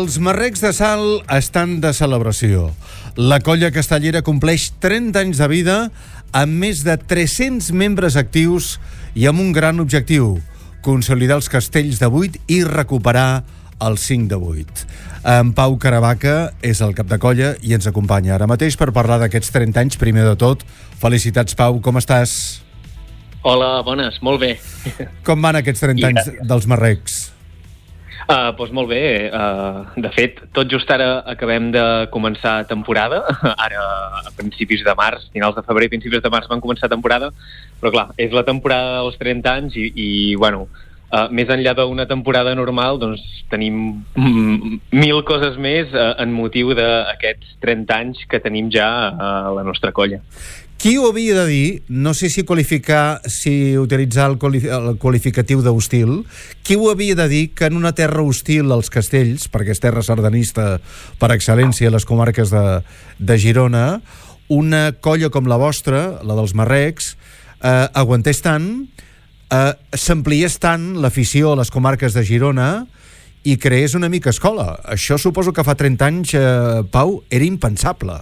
Els Marrecs de Salt estan de celebració. La colla castellera compleix 30 anys de vida amb més de 300 membres actius i amb un gran objectiu: consolidar els castells de 8 i recuperar el 5 de 8. En Pau Caravaca és el cap de colla i ens acompanya ara mateix per parlar d'aquests 30 anys. Primer de tot, felicitats, Pau, com estàs? Hola, bones, molt bé. Com van aquests 30 anys dels Marrecs? Doncs molt bé. De fet, tot just ara acabem de començar temporada. Ara, a principis de març, finals de febrer, principis de març van començar temporada. Però clar, és la temporada dels 30 anys i bueno, més enllà d'una temporada normal, doncs tenim 1000 coses més en motiu d'aquests 30 anys que tenim ja a la nostra colla. Qui ho havia de dir? No sé si utilitzar el qualificatiu d'hostil. Qui ho havia de dir que en una terra hostil als castells, perquè és terra sardanista per excel·lència a les comarques de Girona, una colla com la vostra, la dels Marrecs, aguantés tant, s'ampliés tant l'afició a les comarques de Girona i creés una mica escola. Això suposo que fa 30 anys, Pau, era impensable.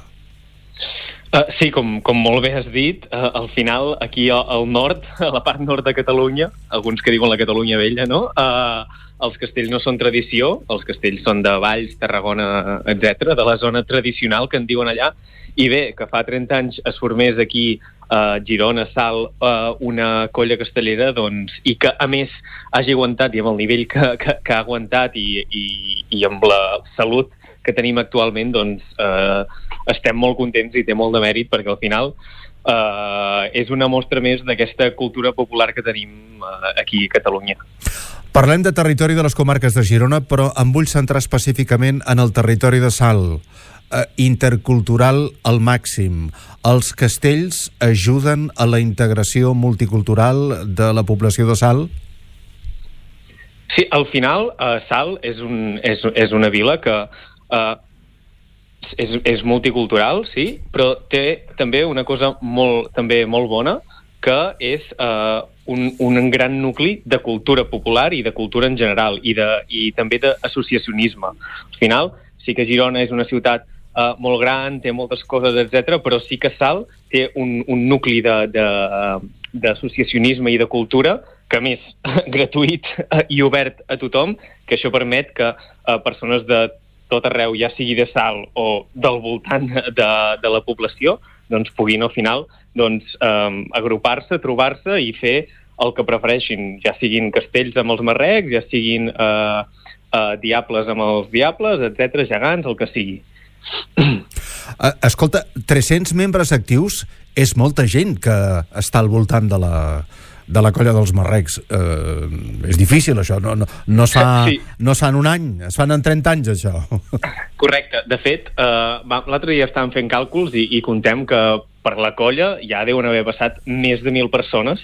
Sí, com molt bé has dit, al final, aquí al nord, a la part nord de Catalunya, alguns que diuen la Catalunya vella, no? Els castells no són tradició, els castells són de Valls, Tarragona, etc, de la zona tradicional que en diuen allà, i bé, que fa 30 anys es formés aquí a Girona, Salt, una colla castellera, doncs, i que a més hagi aguantat, i amb el nivell que ha aguantat i amb la salut que tenim actualment, doncs estem molt contents i té molt de mèrit, perquè al final és una mostra més d'aquesta cultura popular que tenim aquí a Catalunya. Parlem de territori de les comarques de Girona, però em vull centrar específicament en el territori de Salt. Intercultural al màxim. Els castells ajuden a la integració multicultural de la població de Salt? Sí, al final Salt és una vila que és multicultural, sí, però té també una cosa molt bona, que és un gran nucli de cultura popular i de cultura en general, i també d'associacionisme. Al final, sí que Girona és una ciutat molt gran, té moltes coses, etc, però sí que Salt té un nucli d'associacionisme i de cultura, que a més, gratuït i obert a tothom, que això permet que persones de tot arreu, ja sigui de Salt o del voltant de la població, doncs puguin al final agrupar-se, trobar-se i fer el que prefereixin, ja siguin castells amb els marrecs, ja siguin diables amb els diables, etc, gegants, el que sigui. Escolta, 300 membres actius és molta gent que està al voltant de la colla dels Marrecs. És difícil, això. No es fa en un any, es fan en 30 anys, això. Correcte. De fet, l'altre dia estàvem fent càlculs i contem que per la colla ja deuen haver passat més de 1.000 persones,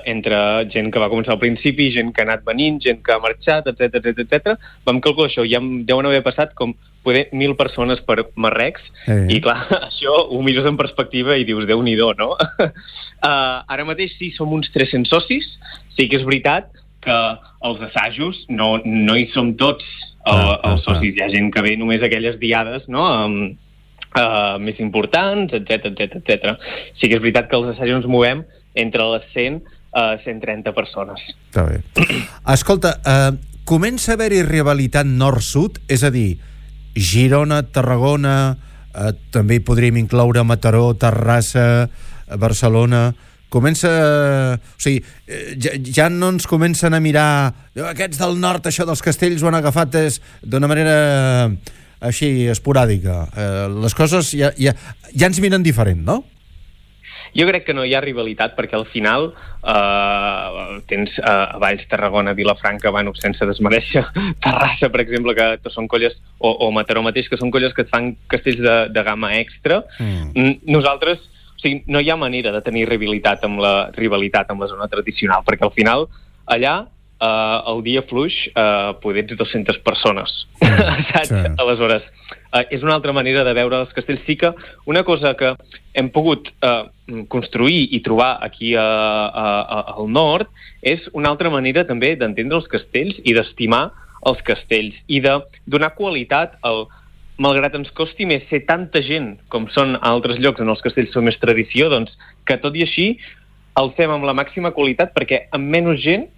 entre gent que va començar al principi, gent que ha anat venint, gent que ha marxat, etc. Vam calcular això, ja deuen haver passat com poder 1.000 persones per Marrecs, i clar, això ho mires en perspectiva i dius, Déu-n'hi-do, no? Ara mateix sí, som uns 300 socis, sí que és veritat que els assajos no hi som tots els socis, hi ha gent que ve només aquelles diades, no?, més importants, etc. Sí que és veritat que els assajos ens movem entre les 100 a 130 persones. Està bé. Escolta, comença a haver-hi rivalitat nord-sud, és a dir, Girona, Tarragona, també hi podríem incloure Mataró, Terrassa, Barcelona. Comença... O sigui, ja no ens comencen a mirar aquests del nord, això dels castells ho han agafat d'una manera així esporàdica. Les coses ja ens miren diferent, no? Jo crec que no hi ha rivalitat, perquè al final tens a Valls, Tarragona, Vilafranca, bueno, sense desmereixer Terrassa, per exemple, que són colles, o Mataró mateix, que són colles que et fan castells de gamma extra. Nosaltres, o sigui, no hi ha manera de tenir rivalitat amb la zona tradicional, perquè al final allà el dia fluix poder ets 200 persones, saps? Aleshores, és una altra manera de veure els castells. Sí que una cosa que hem pogut construir i trobar aquí al nord és una altra manera també d'entendre els castells i d'estimar als castells i de donar qualitat malgrat ens costi més ser tanta gent com són altres llocs on els castells són més tradició, doncs que tot i així el fem amb la màxima qualitat perquè amb menys gent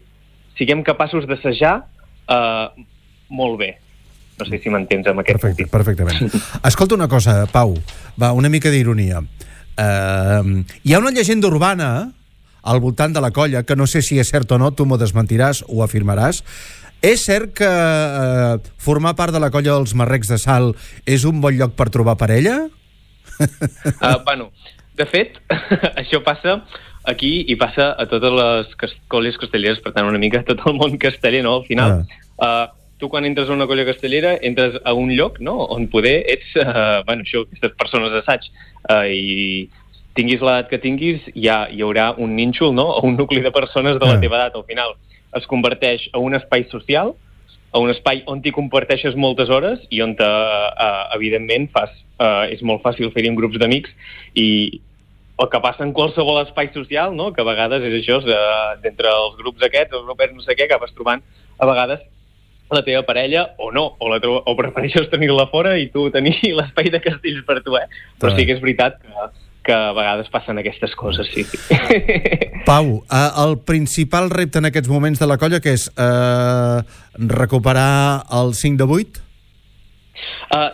siguem capaços d'assajar molt bé. No sé si m'entens amb aquest sentit. Perfectament. Escolta una cosa, Pau, una mica d'ironia. Hi ha una llegenda urbana al voltant de la colla, que no sé si és cert o no, tu m'ho desmentiràs o afirmaràs. És cert que formar part de la colla dels Marrecs de Salt és un bon lloc per trobar parella? De fet, això passa aquí i passa a totes les colles castelleres, per tant, una mica a tot el món casteller, no? Al final, tu quan entres a una colla castellera entres a un lloc, no?, on poder ets, aquestes persones d'assaig, i tinguis l'edat que tinguis, hi haurà un nínxol, no?, o un nucli de persones de la teva edat. Al final es converteix en un espai social, a un espai on t'hi comparteixes moltes hores i on, evidentment, és molt fàcil fer-hi en grups d'amics i el que passa en qualsevol espai social, no?, que a vegades és això, d'entre els grups aquests, els grupets no sé què, acabes trobant a vegades la teva parella o no, o prefereixes tenir-la fora i tu tenir l'espai de castells per tu, Però sí que és veritat que a vegades passen aquestes coses, sí. Pau, el principal repte en aquests moments de la colla que és recuperar el 5 de 8?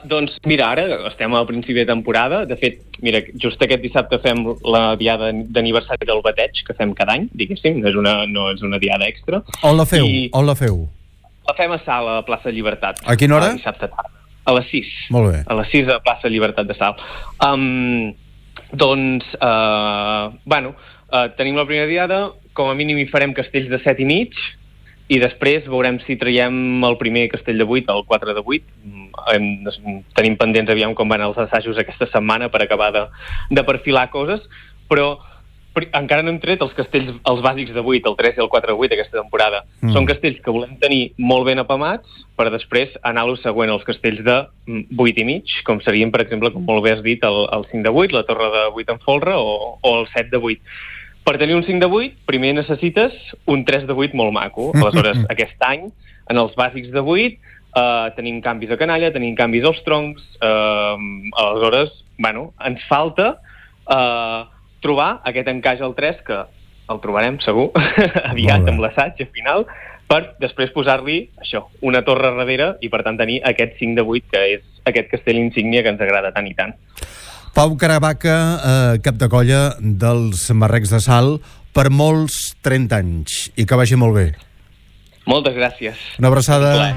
Doncs mira, ara estem al principi de temporada. De fet, mira, just aquest dissabte fem la diada d'aniversari del bateig, que fem cada any, diguéssim, no és una diada extra. On la feu? La fem a Salt, a plaça Llibertat. A quina hora? Dissabte tarda. A les 6. Molt bé. A les 6 a plaça Llibertat de Salt. Tenim la primera diada, com a mínim hi farem castells de 7 i mig, i després veurem si traiem el primer castell de 8, el 4 de 8. Tenim pendents aviam com van els assajos aquesta setmana per acabar de perfilar coses, però encara no hem tret els castells, els bàsics de 8, el 3 i el 4 de 8 aquesta temporada. Són castells que volem tenir molt ben apamats per després anar a lo següent, els castells de 8 i mig, com serien, per exemple, com molt bé has dit, el 5 de 8, la torre de 8 en folre o el 7 de 8. Per tenir un 5 de 8, primer necessites un 3 de 8 molt maco. Aleshores, aquest any, en els bàsics de 8, tenim canvis a canalla, tenim canvis als troncs, aleshores, ens falta trobar aquest encaix al 3, que el trobarem segur aviat amb l'assaig final, per després posar-li això, una torre darrere i per tant tenir aquest 5 de 8, que és aquest castell insígnia que ens agrada tant i tant. Pau Caravaca, cap de colla dels Marrecs de Salt, per molts 30 anys, i que vagi molt bé. Moltes gràcies. Una abraçada.